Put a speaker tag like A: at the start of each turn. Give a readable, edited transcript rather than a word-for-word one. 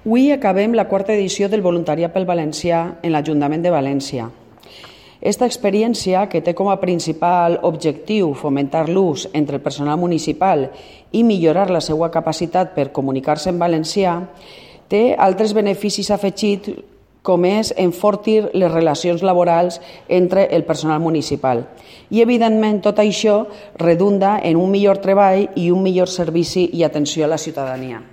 A: Avui acabem la quarta edició del Voluntariat pel Valencià en l'Ajuntament de València. Esta experiència, que té com a principal objectiu fomentar l'ús entre el personal municipal i millorar la seva capacitat per comunicar-se en valencià, té altres beneficis afegits, com és enfortir les relacions laborals entre el personal municipal. I, evidentment, tot això redunda en un millor treball i un millor servici i atenció a la ciutadania.